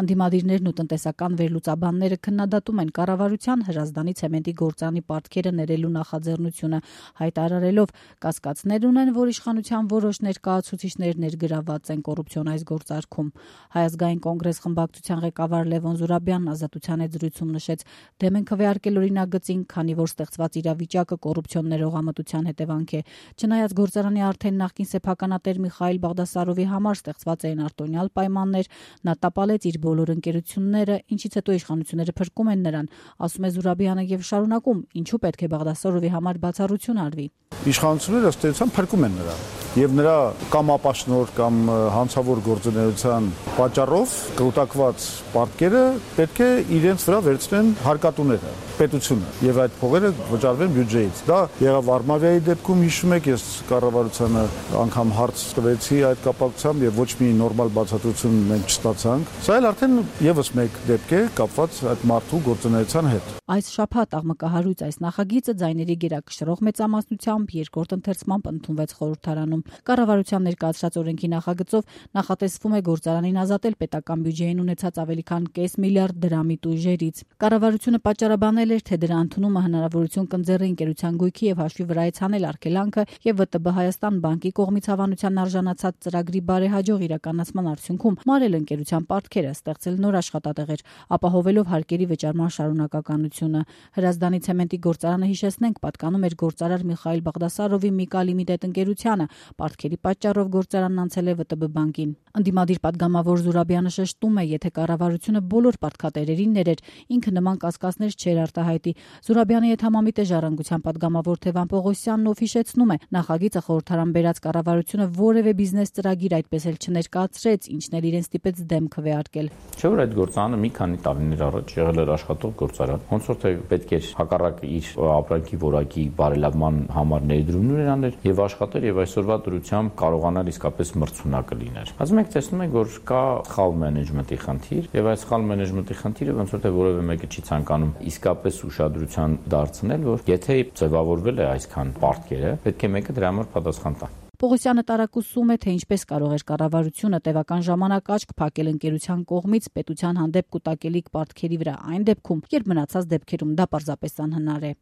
Անդիմադիրներն ու տնտեսական վերլուծաբանները քննադատում են կառավարության Հրազդանի ցեմենտի գործարանի պարտքերը ներելու նախաձեռնությունը, հայտարարելով կասկածներ ունեն, որ իշխանության որոշ ներկայացուցիչներ ներգրավված են կոռուպցիոն այս գործարքում։ Հայ ազգային կոնգրես խմբակցության ղեկավար Լևոն Զուրաբյանն Ազատության հետ զրույցում նշեց, դեմ են քվեարկել օրինագծին, քանի որ ստեղծված իրավիճակը կոռուպցիոն ներողամտության հետևանք է։ Չնայած գործարանի արդեն նախկին սեփականատեր Միխայիլ Բաղդասարովի համար ստեղծված էին արտոնյալ պայմաններ, նա տապալեց իր բոլոր ընկերությունները, ինչից հետո իշխանությունները փրկում են նրան, ասում է Զուրաբյանը եւ շարունակում, ինչու պետք է Բաղդասարովի համար բացառություն արվի։ Իշխանությունները ըստ էության փրկում են նրան եւ նրա կամ ապաշնոր կամ հանցավոր գործունեության պատճառով կուտակված պարտքերը պետք է իրենց վրա վերցնեն հարկատուները, պետությունը եւ այդ փողերը վճարվեն բյուջեից։ Դա եղավ Արմավիայի դեպքում, հիշում եք, ես կառավարությանը անգամ հարց տվեցի այդ կապակցությամբ եւ ոչ մի նորմալ բացատրություն մենք չստացանք։ Սա էլ արդեն եւս մեկ դեպք է կապված այդ մարդու գործունեության հետ։ Այս շաբաթ աղմկահարույց այս նախագիծը ձայների գերակշռող մեծամասնությամբ երկրորդ ընթերցմամբ ընդունվեց խորհրդարանում։ Կառավարության ներկայացրած օրենքի նախագծով նախատեսվում է գործարանին ազատել պետական բյուջեին ունեցած ավելի քան 500 միլիարդ դրամի տույժերից։ Կառավարությունը պատճառաբանել էր, թե դրա ընդունումը հնարավորություն կընձեռի ընկերության գույքի եւ հաշվի վրա ցանել արգելանքը եւ ՎՏԲ Հայաստան բանկի կողմից հավանության արժանացած ծրագրի բարեհաջող իրականացման արդյունքում մարել ընկերության պարտքերը, ստեղծել նոր աշխատատեղեր, ապահովելով հարկերի վճարման շարունակականությունը։ Հրազդանի ցեմենտի գործարանը, հիշեցնենք, պատկանում էր գործարար Միխայիլ Բաղդասարովի Միկա Լիմիտեդ ընկերությանը, պարտքերի պատճառով գործարանն անցել է ՎՏԲ բանկին։ Անդիմադիր պատգամավոր Զուրաբյանը շեշտում է, եթե կառավարությունը բոլոր պարտքատերերին ներեր, ինքը նման կասկածներ չէր արտահայտի։ Զուրաբյանի հետ համամիտ է Ժառանգության պատգամավոր Թևան Պողոսյանն, ով հիշեցնում է, նախագիծը խորհրդարան բերած կառավարությունը որևէ բիզնես ծրագիր այդպես էլ չներկայացրեց, ինչն էլ իրեն ստիպեց դեմ քվեարկել։ Չէ՞ որ այդ գործարանը մի քանի տարիներ առաջ եղել էր աշխատող գործարան, ոնց որ թե պետք էր հակառակ իր ապրանքի որակի բարելավման համար ներդրումներ աներ եւ աշխատեր եւ այսօրվա դրությամբ կարողանալ իսկապես մրցունակը լիներ։ Բայց մենք տեսնում ենք, որ կա սխալ մենեջմենտի խնդիր եւ այս սխալ մենեջմենտի խնդիրը ոնց որ թե որևէ մեկը չի ցանկանում իսկապես ուշադրության դարձնել, որ եթե ձևավորվել է այսքան պարտքերը, պետք է մեկը դրա համար պատասխան տա։ Պողոսյանը տարակուսում է, թե ինչպես կարող էր կառավարությունը տևական ժամանակ աչք փակել ընկերության կողմից պետության հանդեպ կուտակելիք պարտքերի վրա այն դեպքում, երբ մնացած դեպքերում դա պարզապես անհնար է։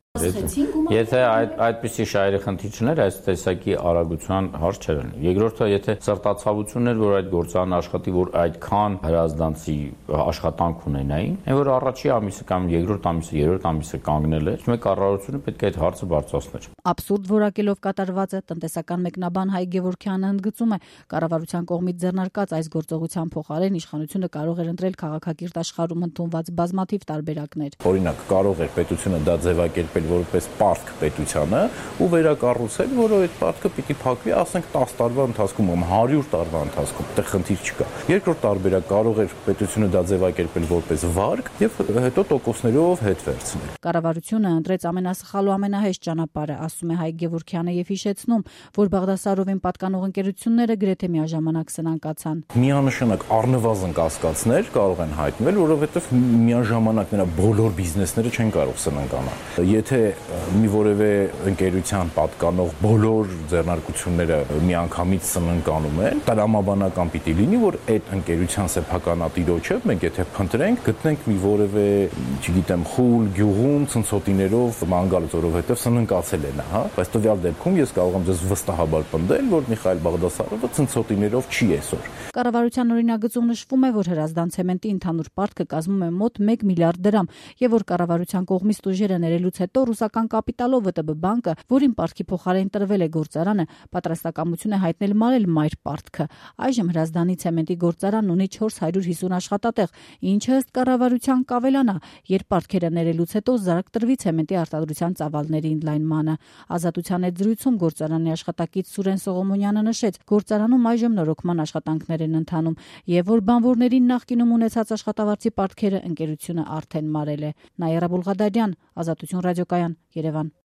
Եթե այդպիսի շահերի խնդիր չներ, այս տեսակի արագության հարց չէր լինի։ Երկրորդը, եթե սրտացավություն էր, որ այդ գործարանը աշխատի, որ այդքան հրազդանցի աշխատանք ունենային, այն որ առաջի ամիսը կամ երկրորդ ամիսը, երրորդ ամիսը կանգնել էր, մեկ կառավարությունը պետք է այդ հարցը բարձրացներ։ Абսուրդ որակելով կատարվածը տնտեսական մեկնաբան Հայ Գևորգյանը ընդգծում է, կառավարության կողմից ձեռնարկած այս գործողության փոխարեն իշխանությունը կարող էր ընտրել քաղաքակիրթ աշխարհում ընդունված բազմաթիվ տարբերակներ։ Օրինակ, կարող էր պետությունը դա ձևակերպել որպես պարտք պետությանը ու վերակառուցել, որը այդ պարտքը պիտի փակվի, ասենք 10 տարվա ընթացքում կամ 100 տարվա ընթացքում, դեռ խնդիր չկա։ Երկրորդ տարբերակ կարող էր պետությունը դա ձևակերպել որպես վարկ եւ հետո տոկոսներով հետ վերցնել։ Կառավարությունը ընտրեց ամենասխալ ու ամենահեշտ ճանապարհը, ասում է Հայ Գևորգյանը եւ հիշեցնում, որ Բաղդասարովին պատկանող ընկերությունները գրեթե միաժամանակ սնանկացան։ Միանշանակ առնվազն կասկածներ կարող են հայտնվել, որովհետեւ միաժամանակ նրա բոլոր բիզնեսները չեն կարող սնանկանալ։ Եթե մի որևէ ընկերության պատկանող բոլոր ձեռնարկությունները միանգամից սնանկանում են, տրամաբանական պիտի լինի, որ այդ ընկերության սեփականատիրոջը մենք եթե փնտրենք, գտնենք մի որևէ, չգիտեմ, խուլ, գյուղում ցնցոտիներով ման գալուց, որովհետեւ սնանկացել է նա, հա, բայց տվյալ դեպքում ես կարող եմ ձեզ վստահաբար պնդել, որ Միխայիլ Բաղդասարովը ցնցոտիներով չի այսօր։ Կառավարության օրինագծում նշվում է, որ Հրազդան ցեմենտի ընդհանուր պարտքը կազմում է մոտ 1 միլիարդ դրամ, եւ որ կառավարության կողմից տուժերը ներելուց հետո ռուսական կապիտալով ՎՏԲ բանկը, որին պարտքի փոխարեն տրվել է գործարանը, պատրաստակամություն է հայտնել մարել մայր պարտքը։ Այժմ Հրազդանի ցեմենտի գործարանն ունի 450 աշխատատեղ, ինչը ըստ կառավարության կավելանա, երբ պարտքերը ներելուց հետո զարկ տրվի ցեմենտի արտադրության ծավալների ընդլայնմանը։ Ազատության հետ զրույցում գործարանի աշխատակից Սուրեն Սողոմոնյանը նշեց, գործարանում այժմ նորոգման աշխատանքներ են ընթանում եւ որ բանվորներին նախկինում ունեցած աշխատավարձի պարտքերը ընկերությունը արդեն մարել է։ Նաիրա Բուլղադարյան, Ազատություն ռադիոկայան, Երևան։